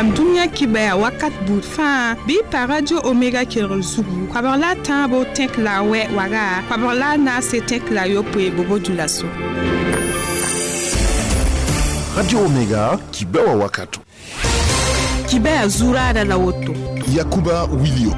Paam dũniyã kibɛa wakat buud fãa bɩ y pa Radio Omega kelgr zugu koabg la a tãabo tẽk la a wɛ waga koabg la a naase tẽk la a yopoe bobo dioulasso. Radio Omega kibɛwa wakato. Kibɛa zuraada la woto. Yakuba Wilio.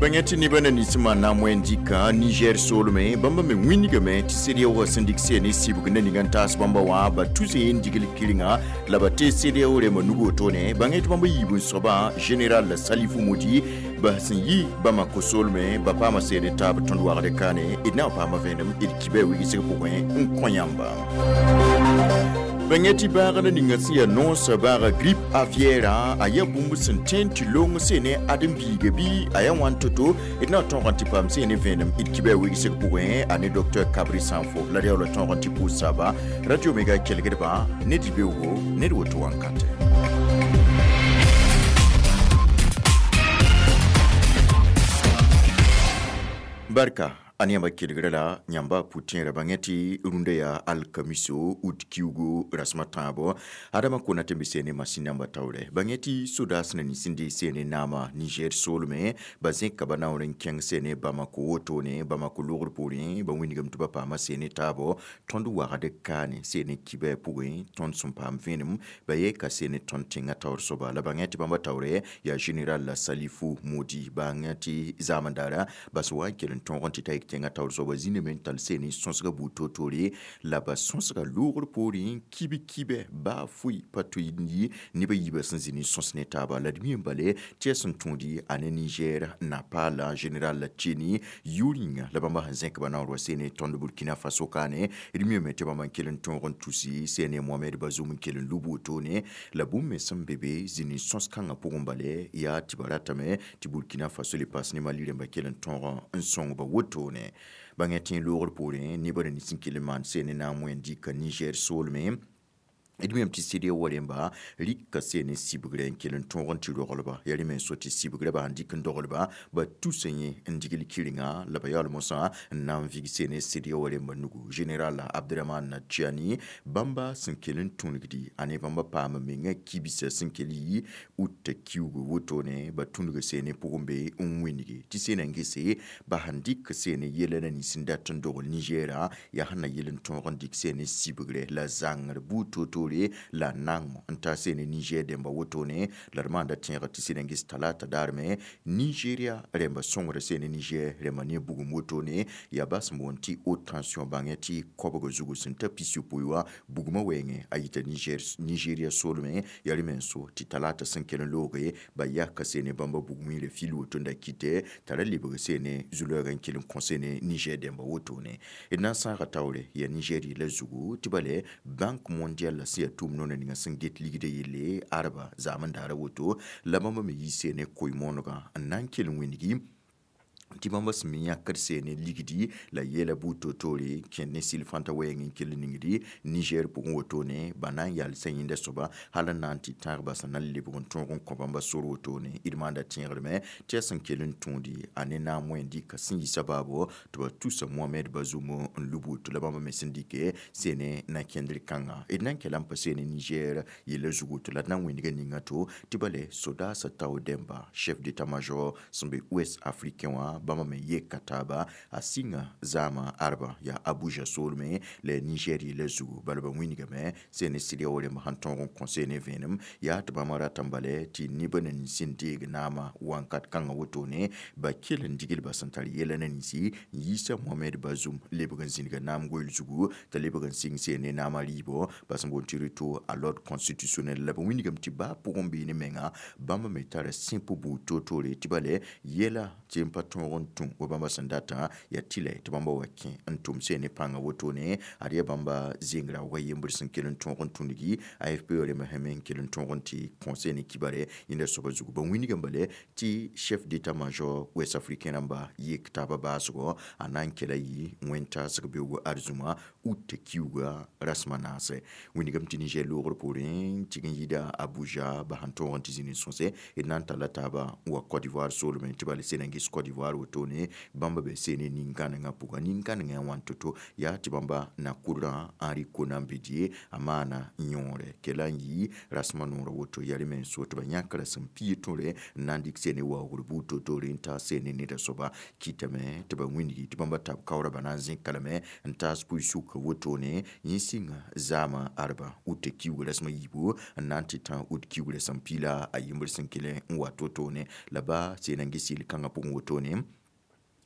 Bãng tɩ nebã na nins maan na n moe n dɩka Niger soolmẽ bãmba me wĩnigame tɩ CEDEAO sẽn dɩk seen sɩbg na ning n taas bãmba wã ba tus n digl kɩrenga la ba tee CEDEAO rẽmbã nug wotone bãng tɩ bãmba yiib n soabã général Salifou Modi ba sẽn yi Bamako soolmẽ ba paama seene taab tõnd wagd kaane d na n paama vẽenem d kibã wigsg pʋgẽ n kõ yãmba. Bãng tɩ bãag la ninga sẽn yaa noosã baaga grippe aviaire a yaa bũmb sẽn tõe n tɩ long sene ãdem-biiga bɩ a yaa wãn to-to d na n tõog n tɩ paam sene vẽenem d kibã wigsg pʋgẽ a ne docteur Kabri Sanfo la d yaoola tõog n tɩ pʋʋs saaba Radio Omega kelgdbã ned beoogo ned woto wãnkatɛ. Barka a yãmba kelgrã la yãmba pʋ-tẽerã bãngẽ tɩ rũndã yaa alkamiso ut kiugu rasem a tãabo adama kona tɩ b seene masin namba taoorɛ bãngẽ tɩ sodaas na nins n dee seene naama Niger soolmẽ ba zẽka ba naoor n kẽng seene Bamako wotone Bamako logr poorẽ ba wĩnigame tɩ ba paama seene taabo tõnd wagd kaane seene kibɛ pʋgẽ tõnd sẽn paam vẽenem ba yeka seene tõnd tẽngã taoor soaba la bãngẽ tɩ bãmba taoorɛ yaa général Salifou Modi bãngẽ tɩ zaamdaara bas wa n kell n tõog n tɩ ta yik tẽngã taoor soaba zĩname n tall seene sõsga buud toor-toore la ba sõsga loogr poorẽ kib-kibɛ baa foe pa tʋ n yi nebã yiibã sẽn zĩ ne sõs ne taaba la d mi n bale tɩ yaa sẽn tõodi a ne Niger Napala général Tieni yʋʋr yĩnga la bãmba sẽn zẽk ba naoor wa seene tõnd Burkina Faso kaane d miame tɩ bãmba n kell n tõog n tusi seene Mohamed Bazoum n kell n lub wotone la bũmb me sẽn be be zĩ ne sõs kãngã pʋgẽ bale yaa tɩ ba ratame tɩ Burkina Faso le paas ne Mali rẽmba kell n tõog n sõng ba wotone bãng tẽ loogr poorẽ nebã nins n kell n maan seene na n moe n dɩka Niger soolmẽ d miame tɩ CEDEAO rẽmba rɩka seene sɩbgrɛ n kell n tõog n tɩ roglba yaa rẽ me n so tɩ sɩbgrã ba sãn dɩk n doglba ba tusa yẽ n digl kɩrenga la ba yaool mosã n na n vig seene CEDEAO rẽmba nugu général Abdramane Tiani bãmba sẽn kell n tũnugdi a ne bãmba paam menga kibsã sẽn kell yi ut kiugu wotone ba tũnug seene pʋgẽ be n wĩnigi tɩ seenã n gese ba sãn dɩk seene yɛla na nins n dat n dogl Nigera yaa sẽn na yel n tõog n dɩk seene sɩbgrɛ la zãngr buud to-toore la nango n ta seene Niger dẽmba wotone la d maanda tẽegr tɩ sẽn n ges talata daarme Nigeria rẽmba sõngra seene Niger rẽmba ne bugum wotone yaa bas n boond tɩ haute tension bãngẽ tɩ koabga zugu sẽn ta pis-yopoe wã bugmã wɛɛngẽ a yita Nigeria soolmẽ yaa rẽ me n so tɩ talata sẽn kell n looge ba yaka seene bãmba bugum yĩra fil woto n da kɩtɛ t'a ra lebg seene zu-loɛɛg n kell n kõ seene Niger dẽmba wotone d na n sãaga taoore yaa Niger yella zugu tɩ bale Banque mondiale la sẽn yaa tʋʋm noona ninga sẽn get ligdã yelle arba zaam n daara woto la bãmba me yi seene koe-moonegã n na n kell n wĩnigi tɩ bãmba sẽn me yãkd seene ligdi la yɛla buud toor-toore kẽnd ne sɩl fãnta wɛɛng n kell ningdi Niger pʋgẽ wotone ba na n yalsã yẽnda soaba hal n na n tɩ tãag basã na n lebg n tõog n kõ bãmba sor wotone d maanda tẽegdme tɩ yaa sẽn kell n tõodi a ne naam wẽn dɩka sẽn yi sabaabo tɩ ba tusa Mohamed Bazoum n lub woto la bãmba me sẽn dɩke seene na kẽndr kãnga d na n kela n pa seene Niger yella zugu woto la d na n wĩnga ninga to tɩ bale sodaasã tao dẽmba chef d'état-major sẽn be ouest africain wã bãmba me yeka taaba a sɩnga zaamã arba yaa Abuja soolmẽ la Niger yella zugu bala ba wĩnigame seene CEDEAO rẽmb sẽn tõog n kõ seene vẽenem yaa tɩ bãmba rata n bale tɩ nebã na nins n deeg naamã wãnkat kãngã wotone ba kell n digl ba sẽn tar yɛla na ninsi n yiisa Mohamed Bazoum lebg n zĩniga naam goeel zugu t'a lebg n sɩng seene naamã rɩɩbo ba sẽn boond tɩ retour à l'ordre constitutionnel la ba wĩnigame tɩ baa pʋgẽ beene menga bãmba me tara sẽp buud toor-toore tɩ bale yɛla tɩ n pa tõog n tũ wa bãmba sẽn datã yaa tɩlɛ tɩ bãmba wa kẽ n tʋm seene pãngã wotone ad yaa bãmba zengra wa yembr sẽn kell n tõog n tũnigi AFP rẽmba sẽn me n kell n tõog n tɩ kõ seene kibare yẽnda soaba zugu ba wĩnigame bale tɩ chef d'état-major ouest africain rãmba yek taaba baasgɔ a na n kela yɩ wẽn-taasg beoogo arzũma ut kiuga rasem a naase wĩnigame tɩ Niger loogr poorẽ tɩg n yida Abuja ba sẽn tõog n tɩ zĩni sõse d na n talla taaba n wa Côte d'Ivoire soolmẽ tɩ bala sẽn n ges Côte d'Ivoire wotone bãmba be seene nin-kãnengã pʋga nin-kãnengã wãn to-to yaa tɩ bãmba na kʋdrã Henri Konan Bédié a maana yõore kela n yɩ rasmã noorã woto yaa rẽ me n so tɩ ba yãk rasem pia tõre n na n dɩk seene waoogr buud toor-toore n taas seene neda soaba kɩtame tɩ ba wĩndgi tɩ bãmba tab kaoorã ba na n zẽka lame n taas pʋɩ-sʋka wotone yẽ sɩnga zaamã arba ut kiuug rasem a yiibu n na n tɩ tã ut kiuug rasem piila a yembr sẽn kell n wa to-toone la ba seen n ges yel-kãngã pʋgẽ wotone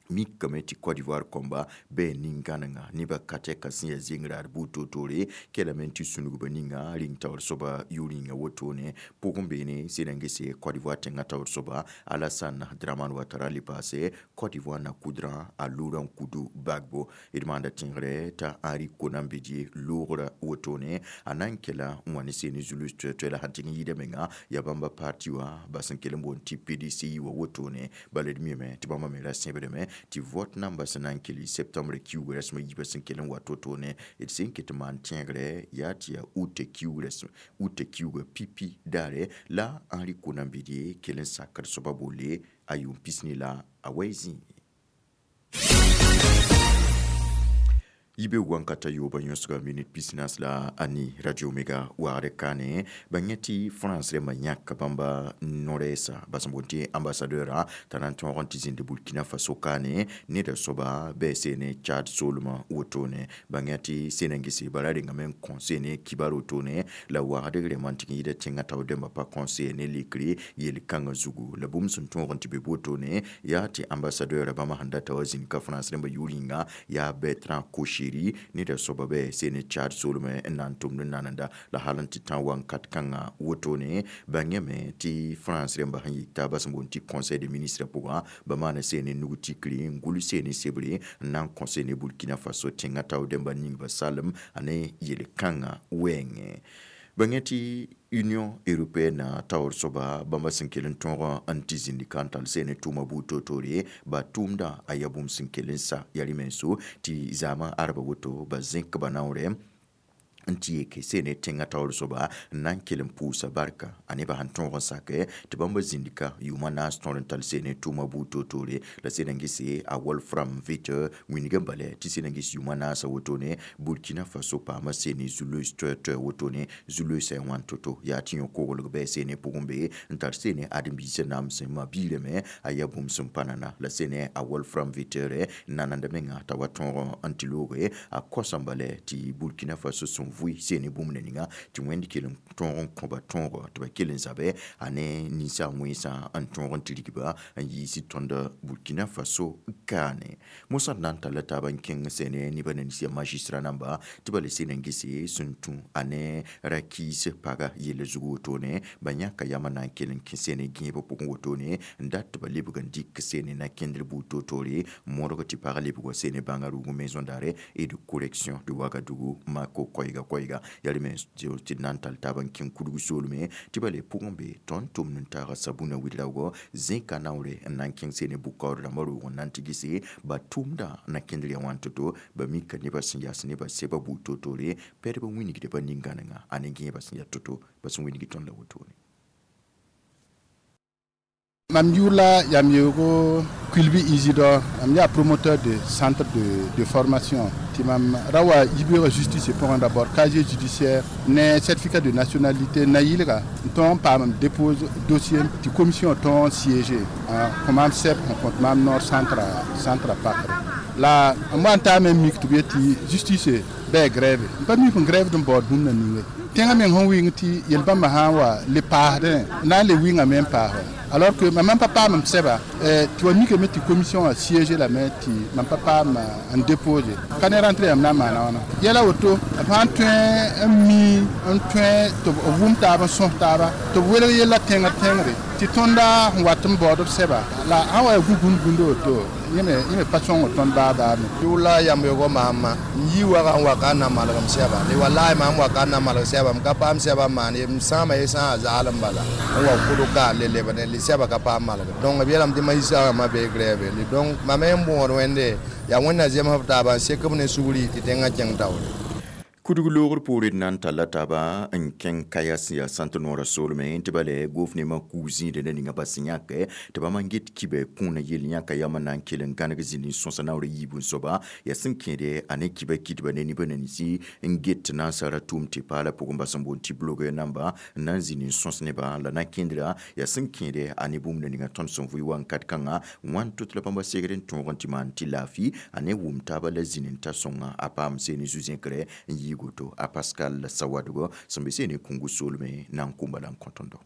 mikame tɩ Côte d'Ivoire kõmba bɩ nin-gãnenga nebã ka tɛka sẽn yaa zeng-raad buud toor-toore kelame tɩ sũnugba ninga rĩng taoor soaba yʋ-rĩnga wotone pʋgẽ beene sẽn n gese Côte d'Ivoire tẽngã taoor soaba Alassane Dramane Ouattara le paase Côte d'Ivoire na kudrã a Laurent Kudu Gbagbo d maanda tẽegre t'a Henri Konan Bédié loogrã wotone a na n kela n wa ne seene zulus toɛ-toɛ la sãn tɩg n yɩɩda menga yaa bãmba parti wã ba sẽn kell n boond tɩ PDCI wã wotone bala d mime tɩ bãmba me ra sẽbdame tɩ vote namba sẽn na n kell septembre kiuug rasem a yiibã sẽn kell n wa to-toone d sẽn ket n maan tẽegre yaa tɩ yaa ut kiuugã pipi daare la Henri Konan Bédié kell n sakd soaba bolle a yʋʋm pisni la a wa zĩige. Yibe wankata yoba yõsga minit pisnas la ani Radio Omega wagre kane ba yẽ tɩ France rẽmbã yãk bãmba no-rɛɛsa ba sẽn boond tɩ ambassadeur t'a na n tõog n tɩ zĩnd Burkina Faso kaane neda soaba bɩ seene Tchad soolmã wotone ba yẽ tɩ seen n gese bara rengame n kõ seene kibar wotone la wagdg rẽmbã n tɩg n yɩɩda tẽngã taoor dẽmbã pa kõ seene lekre yel-kãngã zugu la bũmb sẽn tõog n tɩ be wotone yaa tɩ ambassadeur bãmba sẽn data wa zĩnd ka France rẽmbã yʋ-rĩnga yaa Bertrand Koché neda soaba bɩ seene Tchad soolmẽ n na n tʋmd n nanenda la hal n tɩ tã wakat kãngã wotone bãngame tɩ France rẽmbã sẽn yik taabã sẽn boond tɩ conseil de ministre pʋgã ba maana seene nug tikri n gʋls seene sebre n na n kõ seene Burkina Faso tẽngã taoor dẽmbã ning ba salem a ne yel-kãngã wɛɛngẽ bãngẽ tɩ Union européenne taoor soaba bãmba sẽn kell n tõog n tɩ zĩnd ka n tall seene tʋʋma buud toor-toore ba tʋʋmdã a yaa bũmb sẽn kell n sa yaa rẽ menso tɩ zaamã arba woto ba zẽk ba naoorɛ n tɩ yeke seene tẽngã taoor soaba n na n kell n pʋʋsa barka a nebã sẽn tõog n sakɛ tɩ bãmba zĩnd ka yʋʋmã naas tõr n tall seene tʋʋma buud toor-toore la sẽn n gese a Wolfram Veter wĩnigã balɛ tɩ sẽn n ges yʋʋmã naasã wotone Burkina Faso paama seene zulus toɛ-toɛ wotone zulus a wãn to-to yaa tɩ yõ-koglg bɩ seene pʋgẽ be n tar seene ãdem-biisã namsẽ ma-biilame a yaa bũmb sẽn pa nana la seene a Wolfram Veter nananda menga t'a wa tõog n tɩ looge a kosã balɛ tɩ Burkina Faso sẽn vʋɩ seene bũmb na ninga tɩ wẽnd kell n tõog n kõba tõogo tɩ ba kell n zabɛ a ne ninsaag wẽnsã n tõog n tɩ rigba n yiisi tõnd Burkina Faso kaane mosã d na n talla taaba n kẽng seene nebã nins yaa magistrat namba tɩ ba le seen n gese sẽn tũ a ne ra-kiis paga yella zug wotone ba yãka yamã na n kell n kẽ seene gẽebã pʋgẽ wotone n dat tɩ ba lebg n dɩk seene na kẽndr buud toor-toore modg tɩ pag lebg wa seene bãnga rʋʋg maison d'arrêt et de correction de Ouagadougou mako koɛɛga koɛɛga yaa rẽ me tɩ d na n tall taab n kẽng kudg soolme tɩ ba le pʋgẽ be tõnd tʋmd n taaga sabũnã wɩ-raoogɔ zẽka naoore n na n kẽng seene bʋ-kaood rãmbã roog n na n tɩ gese ba tʋʋmdã na kẽndr yaa wãn to-to ba mika nebã sẽn yas nebã sɛba buud toor-toore pɛdb n wĩnigda ba nin-gãnengã a ne gẽebã sẽn yaa to-to ba sẽn wĩnigi tõnd la wotone. Mam yʋʋr la yam yeoogo Kulbi Isidore, mam yaa promoteur de centre de formation tɩ mam ra wa yibeoogã justice pʋgẽ d'abord casier judiciaire ne certificat de nationalité na-yɩlga n tõog n paam n dépose dossier tɩ commission tõog n siéger kõ maam sɛb n kõt maam noor centre a pakre la m wa n taame n mik tɩ b yetɩ justice bɩ grève n pa mik n grève d n baood bũmb na ninge tẽngã meng sẽn wɩng tɩ yel-bãmbã sã n wa le paasdẽ na n le wɩngame n paasa alors que mam pa paam m sɛba tɩ wa mikame tɩ commission a siégé lame tɩ mam pa paam n déposé ka ne rentré yãmb na n maana wãna yɛla woto b sã n tõe n mi n tõe tɩ b wʋm taab n sõs taaba tɩ b welg yella tẽngr tẽngre tɩ tõnda sẽn wat n baood b sɛba la sã n wa yaa gũ-gũnd gũndo woto yẽ me pa sõngd tõnd baa baa me. Yʋʋr yam yogo maama n yi waga n wa ka n na malgem sɛba le wallahi maam wa ka n na malg sɛba m ka paam sɛba n maan ye m sãama ye sã a zaalem bala n wa kʋdg ka le lebne le sɛba ka paam malgem donc b yeelame tɩ mayisaagãmbã bee grève le donc mam me n bõod wẽnde yaa wẽnna zemsb taaba n sek b ne sugri tɩ tẽngã kẽng taoore. Kudg loogr poore d na n talla taaba n kẽng kaya sẽn yaa sãnt noorã soolmẽ tɩ ba lɛ gofnemã kug zĩigdẽ na ninga ba sẽn yãke tɩ bãmb n get kibɛ kũunã yell yãka yam n na n kell n gãneg zĩnd n sõsa naoor yiib n soaba yaa sẽn kẽede a ne kibã kitbã ne nibã ninsi n get tɩ na n sara tʋʋm tɩ paala pʋgẽ ba sẽn boond tɩ blogɛr namba n na n zĩnd n sõs nebã la na kẽndra yaa sẽn kẽede a ne bũmb na ninga tõnd sẽn vʋɩ wankat kãngã wãn tot la bãmba segd n tõog n tɩ maan tɩ laafɩ a ne wʋm taaba la zĩnd n ta sõnga a paam seene zu-zẽkre n yɩ goto a Pascal Sawadogo sẽn be seene kũngu soolmẽ na n kũmba la n kõ tõndo.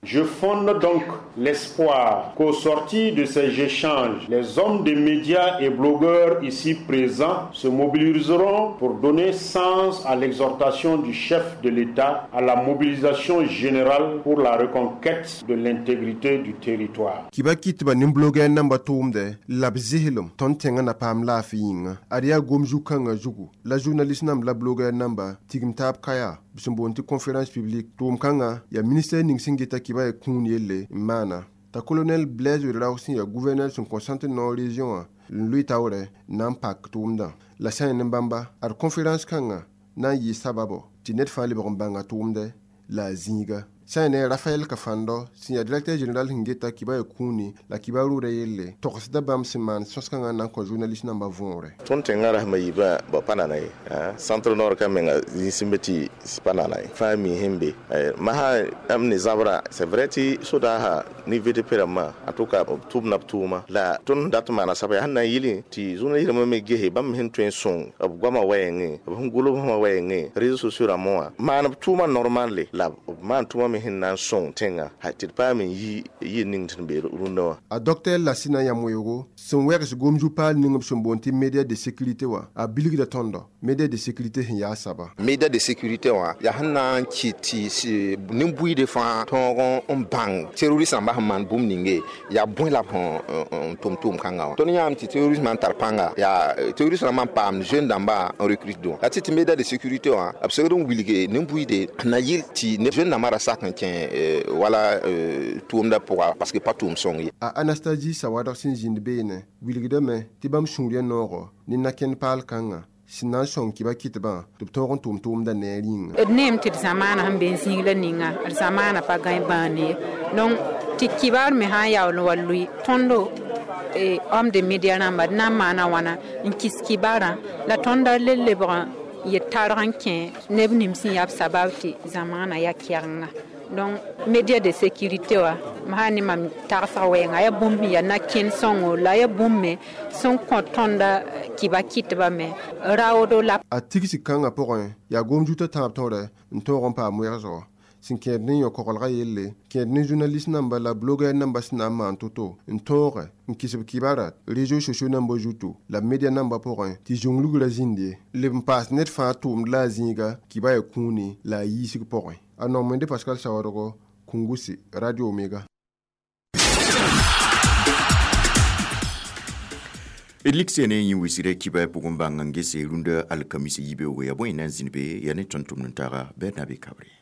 Je fonde donc l'espoir qu'au sortir de ces échanges, les hommes de médias et blogueurs ici présents se mobiliseront pour donner sens à l'exhortation du chef de l'État à la mobilisation générale pour la reconquête de l'intégrité du territoire. Kiba kitba nin blogueur namba tʋʋmdɛ la b zɩslem tõnd tẽngã na paam laafɩ yĩnga ad yaa gom zu-kãngã zugu la journaliste namba la blogueur namba tigim taab kaya b sẽn boond tɩ conférence publique tʋʋm kãngã yaa ministère ning sẽn geta kɩba ya kũun yelle n maana t'a colonel Blaise Ouédraogo sẽn yaa gouverneur sẽn kõ centre nord région wã n lʋɩ taoorɛ na n pak tʋʋmdã la sã n bãmba ad conférence kãngã na n yɩ sababo tɩ ned fãa lebg n bãnga tʋʋmdɛ la a zĩiga sã n ne Raphaël Kafando sẽn yaa directeur général sẽn geta kɩba ya kũuni la kɩba rʋʋda yelle togsda bãmb sẽn maan sõs-kãngã na n kõ journaliste nambã võore. Tõnd tẽngã rasmã yiibã ba pa nana ye centre nord ka menga zĩig sẽn be tɩ pa nana ye fãa mi sẽn be masã m ne zabrã c'est vrai tɩ sodaasã ne VDP rãmbã en tout cas b tʋmna b tʋʋma la tõnd dat n maana saba yaa sẽn na n yɩlẽ tɩ journaliste rãmbã me gese bãmb sẽn tõe n sõng b goamã wɛɛngẽ b sẽn gʋls bõmã wɛɛngẽ réseaux sociaux rãmbã wã maan b tʋʋmã normal la b maan tʋʋmã me sẽn na n sõng tẽngã tɩ d paam n yi ning tɩ n be rũndã wã. A docteur Lassina Yamoyogo sẽn wɛgs gom-zu-paal ning b sẽn boond tɩ média de sécurité wã a bilgda tõndo média de sécurité sẽn yaa saba. Média de sécurité wã yaa sẽn na n kɩt tɩ nin-buiidẽ fãa tõog n bãng terroriste rãmbã sẽn maan bũmb ninge yaa bõe la b sẽn tʋm tʋʋm-kãngã wã. Tõnd yãame tɩ terrorisme n tar pãnga yaa terroriste rãmbã n paam jeune dãmbã n recrute dõ la tɩ tɩ média de sécurité wã b segd n wilge nin-buiide na yɩl tɩ jeune dãmbã ra sak n kẽ wala tʋʋmdã pʋga parce que pa tʋʋm sõng ye. A Anastasie Sawadg sẽn zĩnd beene wilgdame tɩ bãmb sũur ya noogɔ ne nakẽnd paal kãngã sẽn na n sõng kɩba kɩtbã tɩ b tõog n tʋʋm tʋʋmdã neer yĩnga. D neem tɩ d zamaana sẽn be n zĩig la ninga d zamaana pa gãe bãane ye donc tɩ kibaar me sã n yaool n wa lʋɩ tõndo homme de média rãmba d na n maana wãna n kis kibaarã la tõnda le lebg n yet targ n kẽ neb nim sẽn yaa b sabab tɩ zamaana yaa kɛgenga. Donc média de sécurité wa ma ne mam tagsg wɛɛnga yaa bũmb sẽn yaa na-kẽnd sõngo la yaa bũmb me sẽn kõ tõnda kɩba kɩtbã me raoodo la. A tigsi kãngã pʋgẽ yaa gom-zutã tãab tõre n tõog n paam wɛgsgo sẽn kẽed ne yõ-koglgã yelle kẽed ne journaliste namba la blogueur namba sẽn na n maan to-to n tõoge n kɩs b kibara réseaux sociaux namba zuto la média namba pʋgẽ tɩ zũng-lugrã zĩnd ye leb n paas ned fãa tʋʋmd la a zĩiga kɩba ya kũuni la a yiisg pʋgẽ. A nomende Pascal Sawadogo, Kungusi, Radio Omega. D lik sene yẽ wisgrã kibã pʋgẽ bãng n gese rũndã alkamisa yibeoogo yaa bõe na n zĩnd be yaa ne tõnd-tʋmd n taaga Bernabe Kabre.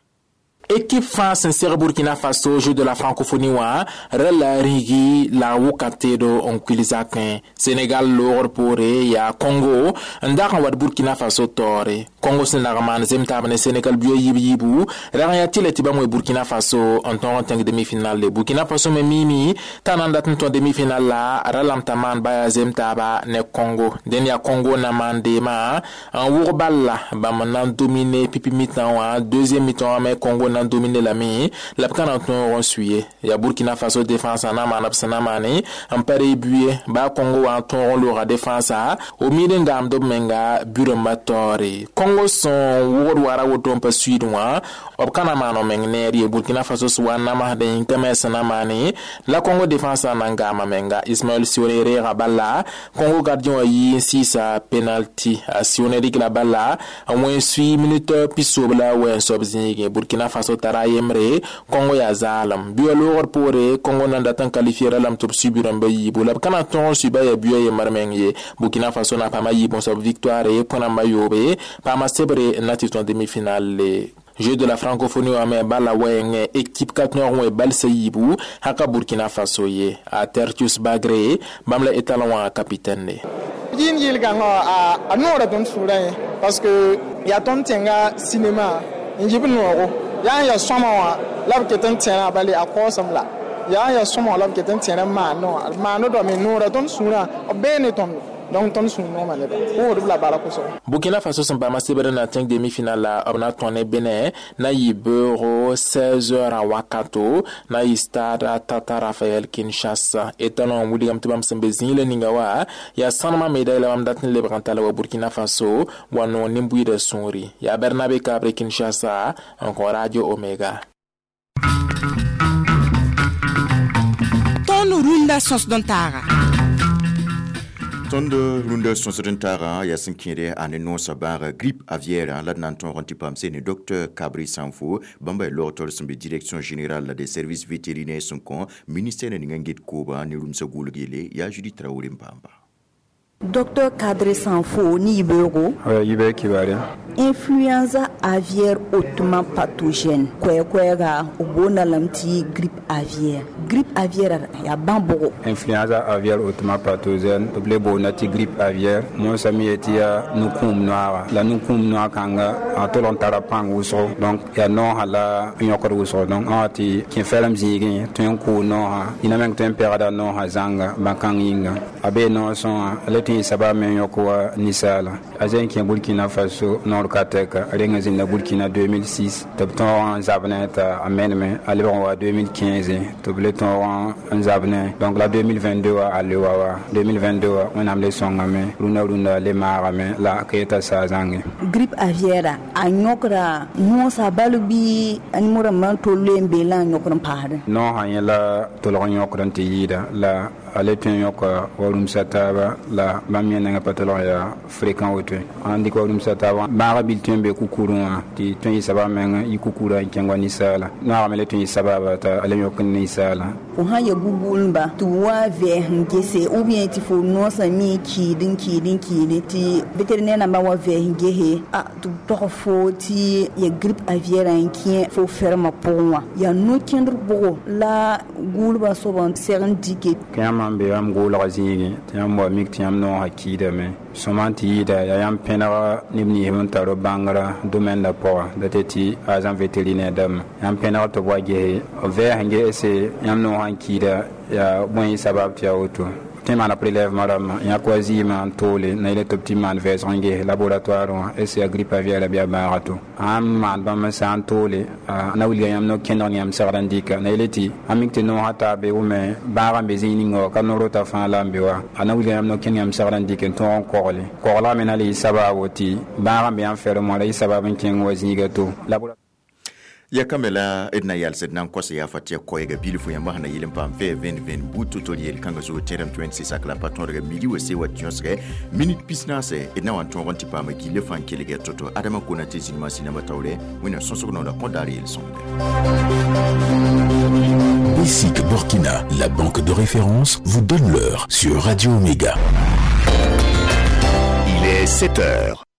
Équipe fãa sẽn seg Burkina Faso Jeux de la francophonie wã ra la rĩigi la wʋka-teedo n kuil zakẽ. Sénégal loogr poore yaa Congo n dag n wat Burkina Faso taoore. Congo sẽn lag n maan zem taab ne Sénégal buya yiib yiibu rag n yaa tɩ la tɩ bãmb we Burkina Faso n tõog n tẽng demi-finale le. Burkina Faso me miime t'a na n dat n tõ demi-finale la ra lame t'a maan baya zem taaba ne Congo. Dẽnd yaa Congo na maan deemã n wʋg bal la bãmb na n domine pipi mi-tã wã deuxième mi-temps wã me Congo na n domine lame la b ka na n tõog n suye yaa Burkina Faso défense na maana b sẽn na maane n pa ree buye baa Congo wã n tõog n looga défense o miid n gaamd b menga bu-rãmbã taoore. Congo sẽn wʋgd wara woto n pa suiid wã b ka na maan b meng neer ye. Burkina Faso sẽn wa n namsdẽ yĩnka me sẽn na maane la Congo défense na n gaama menga. Ismaël Sione reega bala Congo gardien wã yii n sɩɩsa penalty a Sione rɩk la bala n wẽ sui minute pisob la wɛɛn soab zĩigẽ. Burkina Faso tara yembre Congo yaa zaalem buya loogr poore Congo na n dat n qualifiera lame tɩ b sui bu-rãmbã yiibu la b ka na n tõog n suiba yaa buya yembr meng ye. Burkina Faso na paama yiib n soab victoire põ-rãmbã yoobe paama sebre n na tɩ tõe demi-finale. Jeu de la francophonie wã me bala wɛɛngẽ équipe ka tõog n wẽ balsã yiibu haka Burkina Faso ye. A Tertius Bagre bãmb la étalon wã capitaine. Yĩn yɩlgãngã a noora tõnd sʋʋrã ye. Parce que yaa tõnd tẽnga cinéma n yib noogo yaa n yaa sõma wã la b ket n tẽrã bale a kaoosem la yaa n yaa sõma wã la b ket n tẽr n maandẽ wã maandẽ me noora tõnd sũurã b bee ne tõndo donc tõnd sũur nooma neba wʋgdb la bala kʋsgo. Burkina Faso sẽn paama sebr na tẽng demi-finale la b na tõe ne Benin na yɩ beoogo 16h a wakato na yɩ stade Tata Raphaël Kinshasa. Etalon n wilgame tɩ bãmb sẽn be zĩig la ninga wa yaa sãnemã médaille la bãmb dat n lebg n tala wa Burkina Faso wa noog nin-buiidã sũuri. Yaa Bernabe Kabre Kinshasa n kõ Radio Omega. Tõnd rũndã sõsd n taaga. Tõnd rũndã sõsd n taagã yaa sẽn kẽede a ne noosã bãaga grippe aviaire la d na n tõog n tɩ paam se ne docteur Kabri Sanfo bãmba yaa log tol sẽn be direction générale des services vétérinaires sẽn kõ ministère ning n get koobã ne rũmsã gʋʋlg yelle yaa Judith Traoré n paamba. Docteur Kadre Sanfo ni Ibero. Ibe Kibare. Influenza aviaire hautement pathogène. Kwɛ-kwɛga o bona lamti grippe aviaire. Grippe aviaire ya bambogo. Influenza aviaire hautement pathogène. To ble bona ti grippe aviaire. Mo sami etia nukum noir. La nukum noir kanga a tolon tara pang wuso. Donc ya no hala nyokor wuso. Donc ati kin felam zigi tun ku no ha. Ina meng tun perada no ha zanga bakang inga. Abe no son ale tɩ saba me yõk wa ninsaala a zẽ kẽ Burkina Faso noor ka tɛka a renga zĩnda Burkina 2006 tɩ b tõog n zab ne t'a a meneme a lebg n wa 2015 tɩ b le tõog n zab ne donc la 2022 wa a le wa wa 2022 wa Wẽnnaam le sõngame rũndã rũndã le maagame la a ka yeta saa zãnge. Grippe aviaire a yõkra noosã bal bɩ nimb rãmbã tolloe n beelã n yõkr n paasdẽ. Noosã yẽ la tolg n yõkr n tɩ yɩɩda la a le tõe n yõka wa rũmsã taaba la bãmb yẽ nengã pa tolg yaa fréquent woto n dɩk wa rũmsã taaba bãagã bil tõe n be kukurẽ wã tɩ tõe n yɩ sabab meng yɩ kukurã n kẽng wa ninsaala noagame le tõe n yɩ sababa t'a le yõk n ninsaala. Fo sã ya gugulba tɩ b wa vɛɛs n gese ou bien tɩ fo noosã mi kiid n kiid n kiide tɩ vétérinaire nambã wa vɛɛs n gese a tɩ b tog fo tɩ ya grippe aviaire n kẽ fo fermã pʋgẽ wã yaa no-kẽndr pʋgɔ la gʋʋlbã soab n seg n dike. Kẽ yãmb n be yãmb gʋʋlga zĩigẽ tɩ yãmb wa mik tɩ yãmb noosã kiidame sõma tɩ yɩɩda yaa yãmb pẽnega neb nins n tar b bãngrã domaine la pʋga da tɩ tɩ agent vétérinaire dãmba yãmb pẽneg tɩ b wa gese b vɛɛs n gese yãmb noosã n kiida yaa bõe yɩ sabab tɩ yaa woto tɩ maana prélèvement rãmbã yãk wa zɩɩmã n toole na yele tɩ b tɩ maan vɛɛsg n ges laboratoire wã est yaa grippe aviaire la bɩ a bãaga to sãn maan bãmb n sã n toole na wilga yãmb no-kẽndg ne yãmb segd n dɩka na yele tɩ a mik tɩ noosã taa be wʋme bãagã n be zĩig ninga wa ka no-rota fãa la n be wa a na wilga yãmb no-kẽnd yãmb segd n dɩk n tõog n kogle koglgã me na le yɩ sabaabo tɩ bãagã n be yãmb ferem wã la yɩ sabab n kẽng wa zĩiga to. Ya kambe la d na yals d na n kos yaa fa tɩ ya koɛɛga bilfu yãmb sẽn na yɩl n paam fɛ 20 but to-to yel kãngã zugu tẽdame 26 sak la pa tõodga midi wa se wa tɩ yõsgɛ minit 14 d na wa n tõog n tɩ paama gilli fãa n kelgɛ to-to Adama Konate zĩnimã sĩnambã taoore Wẽnnaam sõsg noora kõ daar yel-sõmde. BSIC Burkina, la banque de référence, vous donne l'heure sur Radio Omega. Il est 7 heures.